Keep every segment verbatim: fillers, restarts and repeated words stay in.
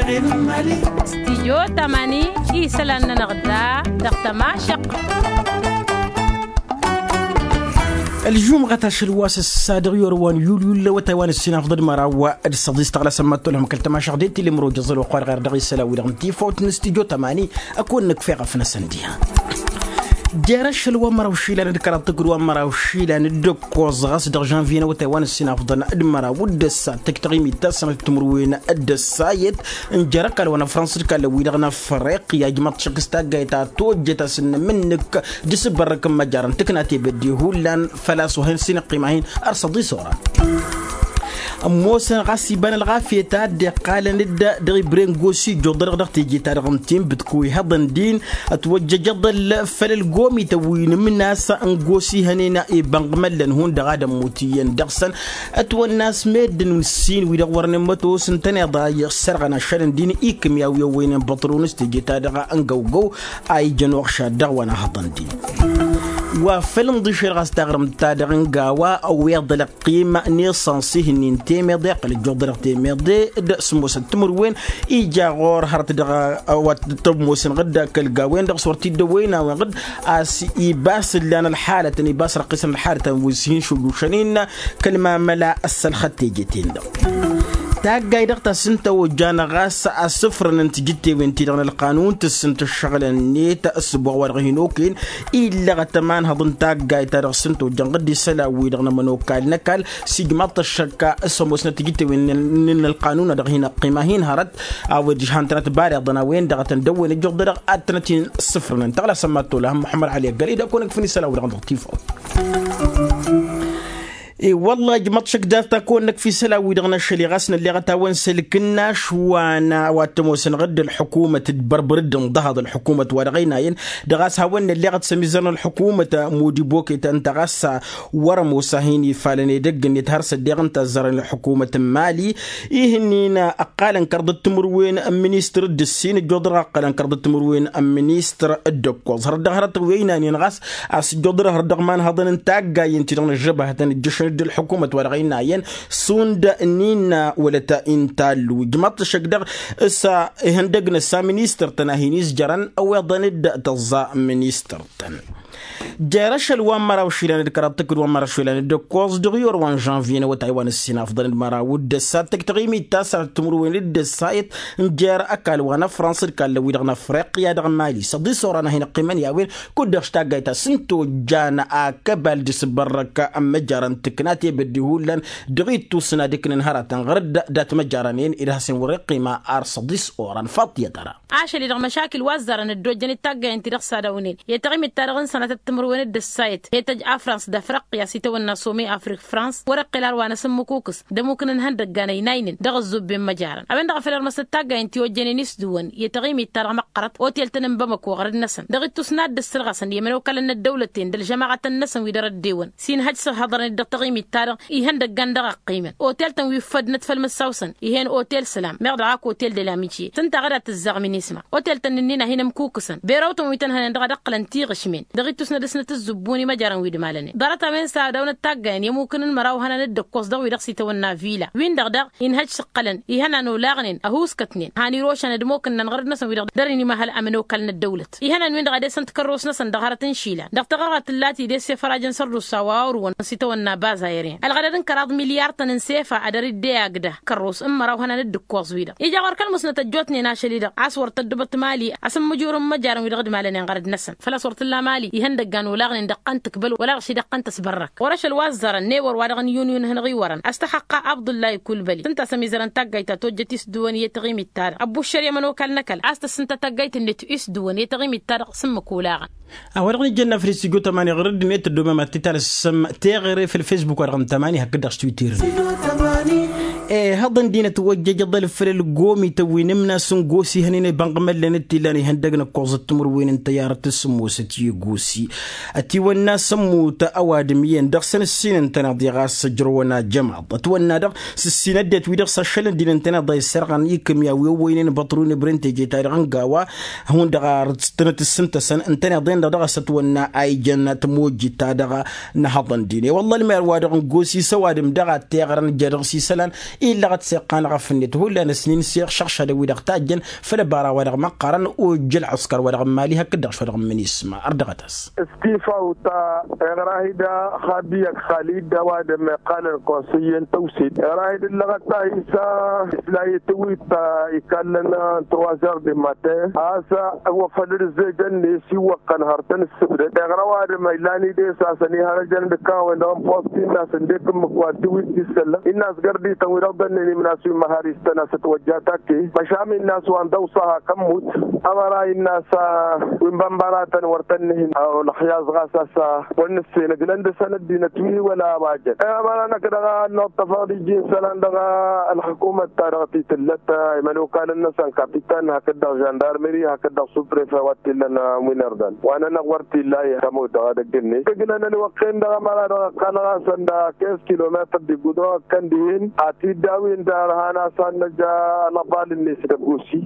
Stidyo tamani isălan-nănăɣ da dăɣ-tămašăq. Ălžumɣăt ašăl wa s-ăssadăɣ i-orăwăn yulyul lăwătay wa n-ǝssin afḍăd măraw d-săḍis tăɣlasăn mad-tolhăm kăl-tămašăɣ d-e-t-ille mărojăẓăl wa kăwar ɣer dăɣ-isălan wi-dăɣ n-tifawt n-stidyo tamani. Ăkon nǝkfeɣ ăfnăsăn diha jer-ašăl wa n-măraw išilan d-kăraḍ tǝkǝd wa n-măraw išilan d-ǝkkoẓ ɣas dăɣ-žănvye n-awătay wa n-ǝssin afḍăn d-măraw d-ăssa tǝktăɣ imit ta sănăt timǝrwen d-ăssa i-dd n-jer-ăkall wa n-afrăns d-kallăn-wi-dăɣ n-afriqya ijmăḍ šăkk s-taggayt ta tojjăt a-s ǝnnăm ǝnnǝk d-asǝbbărrăk n-măjarăn tǝkna tebădde hullan făl-a-s wa hin-sinăqqima-hin ărsăḍi s-oran. Ămoosăn ɣas iba n-ălɣafyăt a dd-iqqalăn-dd dăɣ-ibre n-gosi ijjuḍălăɣ dăɣ-teje-ta-dăɣ n-tinbǝt kăwăy hăḍăn din ătwăjjăjăḍăl făll-ălgomităn wi n-ǝmnas n-gosi hănen ibănɣ măllăn hundăɣ ad-ămmut iyyăn dăɣ-săn. Ătwănna a-s meddǝn wi n-ǝssin wi-dăɣ wărăn immătos ǝntăneḍ a i-issărɣăn ašăl n-din ikǝm i-a-wi ăwwăynen băṭrun s-teje-ta-dăɣ n-găwgăw a ijăn uɣšad dăɣ-wa n-ahăḍăn din. Wa făl ǝnḍǝšel ɣas taɣrǝmt-ta-dăɣ n-gawa ăwweḍ ălăqqim n-isăns ihǝnnin temeḍe ăqqăl ǝjjuḍălăɣ temeḍe d-sǝmmosăt timǝrwen ija ɣur-hărăt dăɣ-a-wa t-ămoosănăɣ-dd kăl-gawen-dăɣ s-wăr t-dd-ăwwăynawen-dăɣ a-s ibas ǝllan ălxalătăn ibas răqqisăn ălxalătăn wi s-hin-šujušăn innă kăl-mamăla ăssălxăt teje-ten-dăɣ. Taggay dăɣ-ta s-ǝnta ojjan ɣas asǝfrăn n-tijǝttewen-ti-dăɣ n-ălqanun tǝssǝnt ǝššăɣǝlăn-net ăssǝboɣ wa dăɣ-hin-okăyăn illăɣăt ămanhăḍ n-taggayt-ta-dăɣ s-ǝnta ojjan ɣǝdd isălan-wi-dăɣ n-ămănokal n-ăkall s-ijmaḍ-t ăššăkka s-ămoosnăt tijǝttewen n-ălqanun a dăɣ-hin-ăqqima hin-hărăt a-wen dd-ijhan-tănăt bareḍăn a-wen-dăɣ a tăn-dd-ăwwen ǝjjuḍălăɣ ad-tănăt-in-sǝfrǝnăn tăɣlasăn mad-tolăhăm muḥămmăd ăli ăggălăy d-ad-kăwăn-ǝkfǝn isălan-wi-dăɣ n-dăɣ-tifawt. I-wălla ijmăḍ šăkk dat-ta kăwăn-năkf isălan-wi-dăɣ n-ašăl i-ɣas nălleɣăt a-wen s-ălkǝnnaš wa n-a wa t-ămoosănăɣ-dd ălḥukumăt d-bărbăr dd-ǝnḍăhăḍ ălḥukumăt wa dăɣ-ăynayăn dăɣ-a-s hawăn-nălleɣăt s-ămizăr n-ălḥukumăt mudibokăy ta ǝnta ɣas wăr-ămoos a hin-ifalăn edăgg-net har s-ăddeɣ ǝnta ăzzarăn ălḥukumăt n-mali. Ihǝnnin ăqqalăn kăr dd-timǝrwen n-ministăr d-ǝssin ǝjjuḍăr ăqqalăn kăr dd-timǝrwen n-ministăr d-ǝkkoẓ hărăt dăɣ-hărătăn wi ăynayăn ɣas a-s ǝjjuḍăr hărăt dăɣ-imanhăḍăn n-taggayen-ti-dăɣ n-ăžžăbăhătăn ǝjjǝšăn-dd ălḥukumăt wa dăɣ-ăynayăn šund n-innă wălăt intallu ijmăḍ-t šăkk dăɣ-s s-ihăndăg n-ăssa ministăr-tăn a hin-izjărăn ăwweḍăn-dd tăẓẓa ministăr-tăn. Jer-ašăl wa n-măraw išilan d-kăraḍ tǝkǝd wa n-măraw išilan d-ǝkkoẓ dăɣ-iwăr wa n-žănvye n-awătay wa n-ǝssin afḍăn d-măraw d-ăssa tǝktăɣ imit ta sănăt timǝrwen d-ăssayăt n-jer-ăkall wa n-afrăns d-kallăn-wi-dăɣ n-afriqya dăɣ-mali s-ăḍis oran a hin-ăqqimăn i-a-wen kud-dăɣ s-taggayt ta s-ǝnta ojjan akăbal d-asǝbbărrăk n-măjarăn tǝkna tebădde hullan dăɣ-ittus n-ad-ǝknăn hărătăn ɣăr-dd dat-măjarăn-en ed hasăn wăr-iqqima ar săḍis oran faḍt i-ad-tăra. Ašăl-i-dăɣ măšakil wa ăzzarăn ăddojjăn d-taggayen-ti-dăɣ s-ad-awnen i-taɣimit-ta-dăɣ n-sănatăt timǝrwen d-ăssayăt i-tăj afrans d-afriqya s-itawănna some afrik frans wăr-iqqǝl ar wa n-asǝmmǝkukǝs d-ămmuk n-inhăndăggan ăynaynen dăɣ-ăzzubben măjarăn a-wen-dăɣ a făl irmăsnăt taggayen ti ojjănen isdǝwăn i-taɣimit-ta-dăɣ măqqărăt otel-tăn n-bamăko ɣărăt-năsăn dăɣ-ittus n-ad-dd-ăss ălɣăsăn i-ămănokal n-ăddăwlăt-ten d-ălžămaɣătăn-năsăn wi dăr-ăddewăn s-inhăj s-ăhhăḍărăn-dd dăɣ-taɣimit-ta-dăɣ ihăndăggan dăɣ-ăqqiimăn otel-tăn wi ǝffădnăt făll-mǝssaw-săn ih'-en otel sălam meɣ dăɣ-ak otel de la mitie s-ǝnta a ɣǝd ad-tǝzzaɣ minisma otel-tăn ǝnnin a hin-ămkukǝsăn berăw-tăn wi tăn-hănen dăɣ-ad-ǝqqǝlăn tiɣǝšmen dăɣ-ittus n-ad-dăsnăt ǝzzǝbbun i-măjarăn wi d-malănen ḍarăt a-wen s-ad-awnăt taggayen i-ămmukăn n-măraw hănan d-ǝkkoẓ dăɣ-wi-dăɣ s-itawănna vila win-dăɣ daɣ inhăj s-ǝqqălăn ihănan olaɣnen ăhuuskătnen han irošăn ădmokǝnnăn ɣărăt-năsăn wi-dăɣ dăr-inimăhăl ămănokal n-ăddăwlăt ihănan-win-dăɣ a desăn tikărros-năsăn dăɣ-hărăt n-išilan dăɣ-taɣărɣat tǝlla tidess i-făraj n-sărdusa wa ărwăn s-itawănna baz aerăyăn ălɣădăd n-kăraḍ milyar-tăn n-sefa a dăr-dd-e-agda kărros n-măraw hănan d-ǝkkoẓ-wi-dăɣ ija ɣur-kăl musnăt ăjjootnen ašăl-i-dăɣ a-s wăr tăddubăt mali asǝmmǝjur n-imăjarăn wi-dăɣ d-malănen ɣărăd-năsăn făl-a-s wăr t-tǝlla mali ihăndăggan olaɣnen dăɣ-tăn tǝkbăl wăla dăɣ-ši dăɣ-tăn tăsbărrăk ɣur-ašăl wa ăzzarăn newăr wa dăɣ-n-iwǝn-iwǝn ihănăɣ-iwărăn a-s tăxăqqa abdullahi kulbăli s-ǝnta a-s ămizărăn taggayt ta tojjăt isdǝwăn i-taɣimit-ta-dăɣ ăbbuššăr i-ămănokal n-ăkall a-s tăssǝnta taggayt-net isdǝwăn i-taɣimit-ta-dăɣ s-ǝmmǝk olaɣăn. A-wa-dăɣ n-ijjăn n-afăl s-tijo tămani ɣur-dd-net ăddoomem ad-t-talăssăm teɣăre făll-facebook-wa-dăɣ n-tămani hakd-dăɣ s-twitter. E-hăḍăn dinăt wăjjăj ăḍăl făll-ălgomităn wi n-ǝmnas n-gosi hănen ibănɣ măllen d-t-illan ihăndăg n-ǝkkoẓăt timǝrwen n-tăyyarăt s-sǝmmosăt i-gosi. Ătiwănna s-ămmut ăwadǝm iyyăn dăɣ-săn ǝssin ǝntăneḍ i-ɣas ǝjrăwăn ajămaḍ ătwănna-dăɣ s-ǝssin ăddinăt wi-dăɣ s-ašăl n-din ǝntăneḍ a isserɣăn ikǝm i-a-wi ăwwăynen băṭrun ibren teje-ta-dăɣ n-gawa. Hundăɣ ar tănăt-ǝssǝntăsăn ǝntăneḍ-en-dăɣ dăɣ-s ătwănna a ijăn tămojit-ta-dăɣ n-ehăḍăn din i-wălla ălmer-wa-dăɣ n-gosi s-ăwadǝm dăɣ-a t-iɣrăn ija dăɣ-s isălan. illăɣăt s-iqqan ɣăf-net hullan ăsnin s-iɣšăɣšadăn wi-dăɣ tajjăn făll-ăbara wa dăɣ-măqqarăn ojjăl ăskăr wa dăɣ-n mali hakd-dăɣ s-wa dăɣ-n minisma. Ărdăɣăt-as. Stifaw ta iɣrahid xabi ak xalid a-wa dămm-iqqalăn konsăyyen tăwsit iɣrahid ǝllăɣăt ta isa islayet wi ta ikallăn n-truazer de matin a-s ăwwăfăl d-ǝzzejăn-net iwwăqqăn hărtăn ǝssǝbdăd iɣrăw adǝm ăylan-i d-e-s a-s ănihărăjăn d-ǝkkawen dăɣ-n post-in a-s ǝndek ǝmmǝk wa dd-iwit d-issăllăɣ innă a-s gărd-ităn wi dăɣ-dănnen imnas wi n-mahăr istăn a-s ătwăjja takke măšan innă a-s wa n-dăw-s a hakămmut ămăra innă a-s wi n-bănbăratăn wăr tăn-nǝhǝn. Olăxyaz ɣas a-s wăr nǝssen ǝglăn dăɣ-săn ăddinăt wi wăla a-wa jăn ămăra-năk dăɣ-a ănnuṭṭăfăɣ d-iji n-isălan dăɣ-ălxǝkumăt-ta-dăɣ ti tǝllăt imănokalăn-năsăn kapitan hakd-dăɣ žăndarmări hakd-dăɣ suprefe wa t-illăn ămwin ărdan wa nănăɣ wăr t-illa i-tamut dăɣ-edăgg-net ǝglăn ălwăqq-en dăɣ-ămăra dăɣ-ăqqalăɣ-asăn dăɣ-quinze kilometăr d-igudrăw ăkkăn dihen atidd a-wen dăr-han a-s hannăj alăḍal-net dăgg-osi.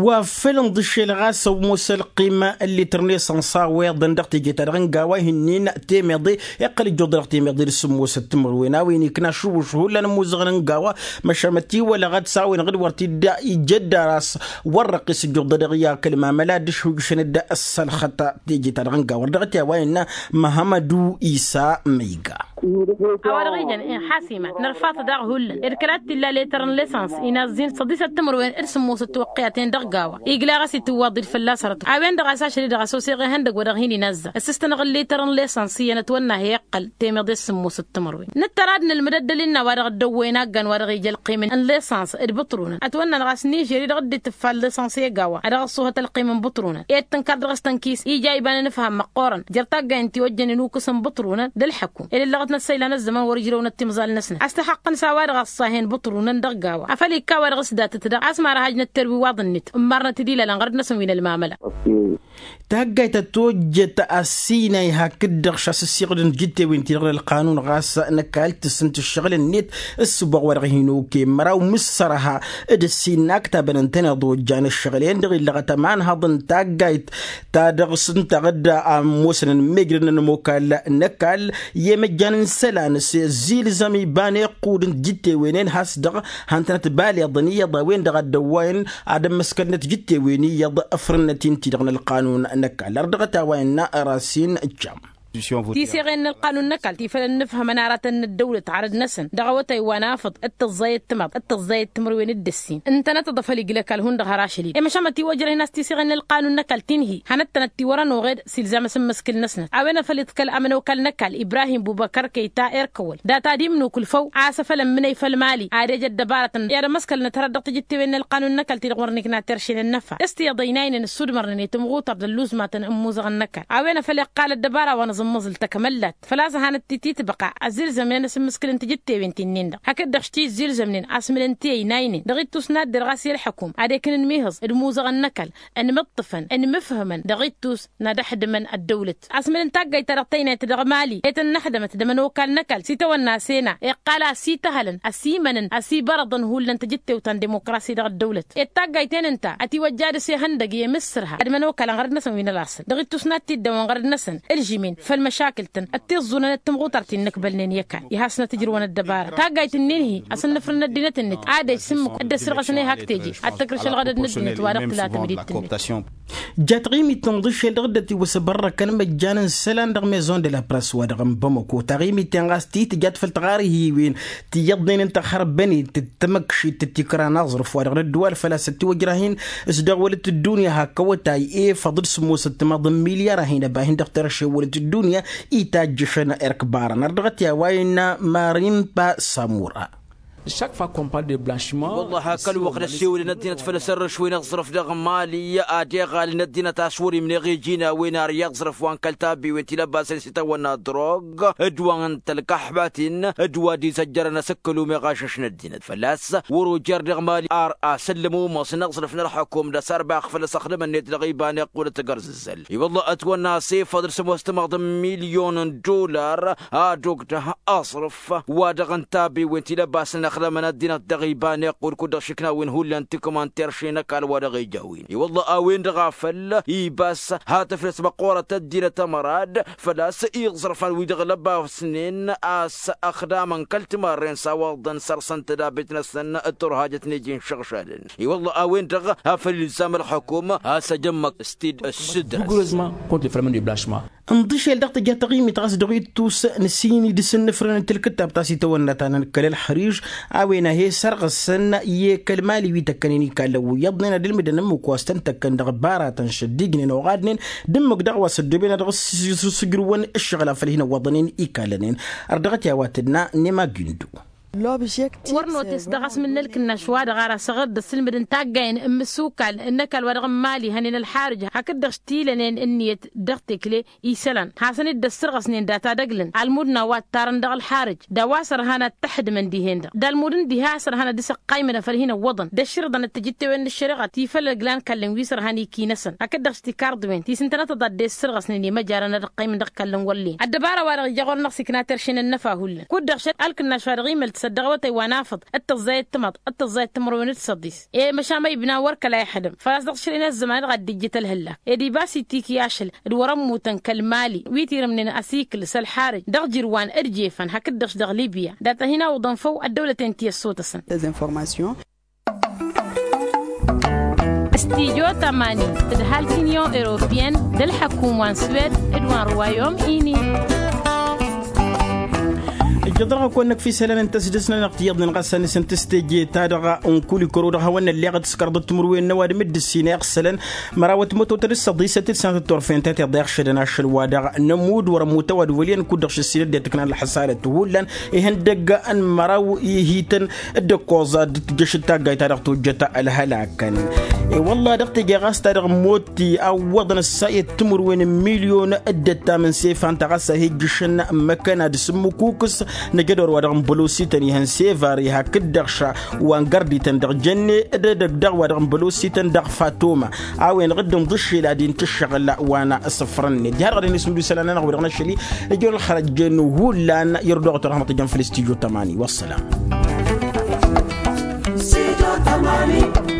Wa făll-inḍǝššel ɣas ămoos ălqim n-lităr n-esănsa weḍăn dăɣ-teje-ta-dăɣ n-gawa ihǝnnin temeḍe iqqăl ǝjjuḍ-dăɣ temeḍe d-sǝmmosăt timǝrwen a-wen ikna ašǝwwǝš hullan ămmuzăɣăn n-gawa. Măšan mătiwălăɣăt s-a-wen ɣǝd wăr t-dd-ijădda ras wăr răqqis ǝjjuḍ-dăɣ i-akăl mamăla d-išhujšăn-dd ăssălxăt teje-ta-dăɣ n-gawa ărdăɣăt i-a-wa innă. Măhămădu isa măyga. A-wa dăɣ-ijăn inxasimat nărfaḍ daɣ hullan ed kăla t-illa letăr n-lesăns inazzin săḍisăt timǝrwen d-sǝmmosăt tiwăqqiyaten dăɣ-gawa. Igla ɣas itǝwwaḍ-dd fălla-s arăt a-wen-dăɣ a-s ašăl-i-dăɣ a-s oseɣ ihăndăgg wa dăɣ-hin-inazza ăssistănăɣ n-letăr n-lesăns iyyăn ătwănna he-iqqăl temeḍe s-sǝmmosăt timǝrwen. Nǝttăr ad-nǝlmǝd ăddălil n-a-wa dăɣ-ăddăwwăyăn aggan wa dăɣ-ija ălqim n-lesăns d-ibǝṭrunăn ătwănna dăɣ-a-s nižer-i dăɣ-dd-itǝffal lesăns i-gawa ad-dăɣ-ăṣṣuhăt ălqim n-ibǝṭrunăn ed tǝnkar dăɣ-s tănkis ija iba n-inǝfham măqqoorăn jer-taggay n-tiwăjjăn inukkǝs n-ibǝṭrunăn d-ălḥăkum ed ǝllăɣăt n-ăssăylan ăzzăman wăr-ǝjrăwnăt timẓal-năsnăt a-s tăxaqqăn s-a-wa-dăɣ ăṣṣahen ibǝṭrunăn dăɣ-gawa afăl ikka a-wa dăɣ-s datăt daɣ a-s marhajnăt terwiwaḍ-net ǝmmarnăt-dd ilălăn ɣărăt-năsăn wi n-ălmamăla. Taggayt ta tojjăt ăssinay hakd-dăɣ šasǝssiɣǝd n-tijǝttewen-ti-dăɣ n-ălqanun ɣas năkall tǝssǝnt ǝššăɣǝl-net ǝssǝboɣ wa dăɣ-hin-oke măraw mǝssărha d-ǝssin n-aktabăn ǝntăneḍ ojjan ǝššăɣǝl-en-dăɣ illăɣăt ămanhăḍ n-taggayt ta dăɣ-s ǝnta ɣǝdda a ămoosăn ănmejrădăn ămokal n-ăkall i-emăjjan n-isălan s-zilzăm iba n-iqqud n-tijǝttewen-en has-dăɣ hantănăt baleḍăn iyyăḍ a-wen-dăɣ a dd-ăwwayăn ad-ămmăskălnăt tijǝttewen iyyăḍ ǝfrǝnnăt-in-ti-dăɣ n-ălqanun n-ăkall ărdăɣăt a-wa innă rasin jam. Tiseɣen n-ălqanun n-ăkall ti făl ănnǝfhămăn aratăn n-ăddăwlăt arăd-năsăn dăɣ-awătay wa n-afǝḍ d-tǝẓẓayăt timaḍ d-tǝẓẓayăt timǝrwen d-ǝssin ǝntănăt aḍăf ăliglăkal hundăɣ har ašăl-i d-e măšan mătiwăjrăh-in a-s tiseɣen n-ălqanun n-ăkall ti n-hi-hanăt-tănăt tiwărăn oɣed s-ilzam asǝmmǝskǝl-năsnăt a-wen a făl iḍkăl ămănokal n-ăkall ibrahim bubăkăr kăyta erkăwăl data d-imnukǝl făw a-s a făl ămmǝnăy făll-mali ad-ej ăddăbarătăn i-ad-ămmăskălnăt hărăt dăɣ-tijǝttewen n-ălqanun n-ăkall ti-dăɣ wăr nǝkna terše n-ănnăfa s-tiyyăḍ ăynaynen ǝssudmărnen i-tamɣutăr d-ălluẓmatăn n-imuzăɣăn n-ăkall a-wen a făl iqqal ăddăbara wa n-aẓǝmmăẓǝl tăkmăllat făl-a-s ăhanăt-t-titbăqa ăzzilzămnen asǝmmǝskǝl n-tijǝttewen ti-nin-dăɣ hakd-dăɣ s-tizzilzămnen asmǝlăn ti ăynaynen dăɣ-ittus n-ad-derɣ a-s i-ălḥăkum ad-ekǝn ǝnmihǝẓ d-imuzăɣăn n-ăkall ănmǝṭṭǝfăn ănmǝfhǝmăn dăɣ-ittus n-ad-ăxdǝmăn ăddăwlăt asmǝlăn taggayt-ta-dăɣ tăynayt dăɣ-mali i-tăn-năxdămăt d-ămănokal n-ăkall s-itawănna sena iqqal a-s ităhălăn ăsimănăn ăsibărăḍăn hullan tijǝttewt ta n-dimokrasi dăɣ-ăddăwlăt ed taggayt-en ǝnta ătiwăjja dăɣ-s ihăndăgg i-imǝssărha d-ămănokal n-ɣărăd-năsăn wi n-ălaṣăl dăɣ-ittus n-ad-t-dd-ăwăn ɣărăd-năsăn ǝlžǝmen făll-măšakǝl-tăn d-tiẓẓunăn d-timɣutar ti n-inǝkbălnen i-ăkall i-hasnăt ǝjrǝwăn ăddăbara taggayt-ǝnnin-hi a-s ǝnnǝfrǝn ăddinăt-ǝnnǝt ad-ej s-ǝmmǝk dd-ăssirɣăsăn ihak teje ad-tăkrǝš ălɣădăd n-ăddinăt wa dăɣ-tǝla tǝmdit-net. Ja taɣimit n-iḍǝššel dăɣ-dd-ătiwăsăbărrăkăn măjjan n-isălan dăɣ-maison de la press wa dăɣ-n bamăko taɣimit-en ɣas titǝjat făll-tiɣarhiwen ti iyyăḍnen n-tăxărbănet d-tamăkšit d-tikra n-aẓrǝf wa dăɣ-nǝddǝwal făl-a-s ătiwăjrah-in s-dăɣ wălăt ăddunya hak awătay efăḍ d-sǝmmosăt timaḍ n-milyar a hin-ăba hin-dăɣ-terše wălăt ăddunya itajjăšăn erk barăn ărdăɣăt i-a-wa innă marimpa samura. Wălla hak ălwăqq năsiwǝlăn ăddinăt făll-asărrǝš wi n-aẓrǝf dăɣ-mali ad-iɣalăn ăddinăt a-s wăr-imneɣ iji n-a-wen ar i-aẓrǝf wa n-kăl-tabbiwen ti lăbbasăn s-itawănna drog d-wa n-tălkăḥbatin d-wa dd-izăjjărăn asǝkkǝl umeɣ ašăš n-ăddinăt fălla-s wăr-ojer dăɣ-mali ar asǝllǝm umăs n-aẓrǝf n-ălxukum d-asărbax făll-asăxdăm-net dăɣ-iba n-iqqulăt gărzǝzzăl. I-wălla ătwănna a-s efăḍ d-sămoos timaḍ n-milyon n-dular ad-ogdăh aẓrǝf wa dăɣ-n tabbiwen ti lăbbasăn. ăqqălămăn ăddinăt dăɣ-iba n-iqqud kud-dăɣ šikna a-wen hullan tikǝmanter šenăkal wa dăɣ-ija a-wen i-wălla a-wen-dăɣ a făl ibas ha tǝflǝs măqqoorăt ăddinăt ămărad făl-a-s iẓrăfan wi-dăɣ lăbasnen a-s ăxdamăn kăl-timarren s-a-wăḍăn săr-săn tădabet-năsăn d-turhajăt n-eji n-išăɣšadăn i-wălla a-wen-dăɣ a făl ilzam ălxukum a-s ăjămmăk s-t-dd-ăssǝdrăs. Rigurozman kont lefălmăn de blasma. Ǝnḍǝšel dăɣ-tǝja taɣimit ɣas dăɣ-ittus n-sini d-isǝnnǝfrăn n-tilkǝttab ta s-itawănna ta n-kăl ălxăriž a-wen a he-sărɣǝsăn i-kăl-mali wi tăkkănen ikallăn wi iyyăḍnen ad-ǝlmǝdăn ǝmmǝk wa s-tăn-tăkkăn dăɣ-baratăn šăddignen oɣadnen d-ǝmmǝk daɣ wa s-ăddooben ad-dăɣ-s sǝjrǝwăn ǝššăɣǝl a făl hin-ăwwăḍnen ikallănen. Ărdăɣăt i-a-wa tǝdna n-emagindu. Wăr notes dăɣ-asmǝl n-ălkǝnnaš wa dăɣ-ara săɣăr d-ăssilmǝd n-taggay n-imǝssukal n-ăkall wa dăɣ-n mali hănen ălxarǝj hakd-dăɣ s-tilănen ǝnniyăt dăɣ-tekle isălan hasăn-dd-ăssărɣăsnen data d-ăglăn almud n-a-wa ǝttarăn dăɣ-ălxarǝj d-a-wa s-ărhan ad-t-ăḥdǝmăn dihen-dăɣ d-almud n-diha a-s ărhan ad-dăɣ-s ăqqaymǝn a făl hin-ăwwăḍăn d-ăšširǝḍăn d-tijǝttewen n-ăššăreɣa ti făll-ăglan kallăn wi s-ărhan ikinăsăn hakd-dăɣ s-tikar-dăwen ti s-ǝntănătăḍ ad-dd-e-ăssărɣăsnen i-măjarăn ad-ăqqaymǝn dăɣ-kallăn wăllen ăddăbara wa-dăɣ ija ɣur-năɣ s-ikna terše n-ănnăfa hullan kud-dăɣ šăl ălkǝnnaš wa dăɣ-imăl tǝsăt dăɣ-awătay wa n-afăḍ d-tăẓẓayăt timaḍ d-tăẓẓayăt timărwen d-săḍis i-măšan ma ibna wăr kăla ixdăm făl-a-s dăɣ-s šăl inăzzăman-dăɣ ad-dd-ijjǝt ălhăllak ed ibas itiki ašăl d-wăr-ămmutăn kăl-mali wi tirǝmnen asikǝl s-ălxarǝj dăɣ-jirwan d-jefăn hakd-dăɣ-s dăɣ-libya data hin-awǝḍăn făw ăddăwlăten ti ăssotăsăn. Stijo tămani d-halk inyon europiyăn d-ălḥăkum wa n-swed d-wa n-ruwayom ini. Ǝjjăḍ-dăɣ a-kăwăn-năkf isălan n-tăsdăs-nănăɣ tiyyăḍnen ɣas a nǝsǝnt s-teje-ta-dăɣ n-kul ikăro-dăɣ hawăn-nălleɣ d-tǝskărḍăt timǝrwen n-ăwadǝm d-ǝssin a iɣsălăn măraw ătmătotăd d-săḍisăt d-sănatăt turfen ta tiḍeɣ šădăn ašăl wa dăɣ-nămud wăr-ămmut ăwadǝm wăl' iyyăn kud-dăɣ šǝssinăt d-ittǝknan ălḥăsarăt hullan ihăndăgg n-măraw ihităn d-ǝkkoẓ ad-dd-tǝjjăš d-taggayt-ta-dăɣ tojjăt ălhălakăn. I-wălla dăɣ-teje ɣas ta dăɣ-motti a ǝwwăḍăn ăssayăt timǝrwen n-milyon d-ăttam n-sefan ta ɣas a hi-ǝjjǝšăn măkkăn ad-sǝmmǝkukǝs năjădor wa dăɣ-n bălosităn ihăn sevare hakd-dăɣ ša wa n-gărdităn dăɣ-jănne d-edăgg daɣ wa dăɣ-n bălosităn dăɣ-fatoma a-wen-dăɣ dd-ǝnḍǝššel ad-intǝššăɣǝl wa n-asǝfrănnen diha-dăɣ ad-hin-isǝmdǝw isălan-nănăɣ wi-dăɣ n-ašăl-i ijăwăn ălxărăjjen hullan i-ărdăɣăt wa dăɣ-mătăjăn făll-stijo tămani. Wăssălam. Stijo tămani.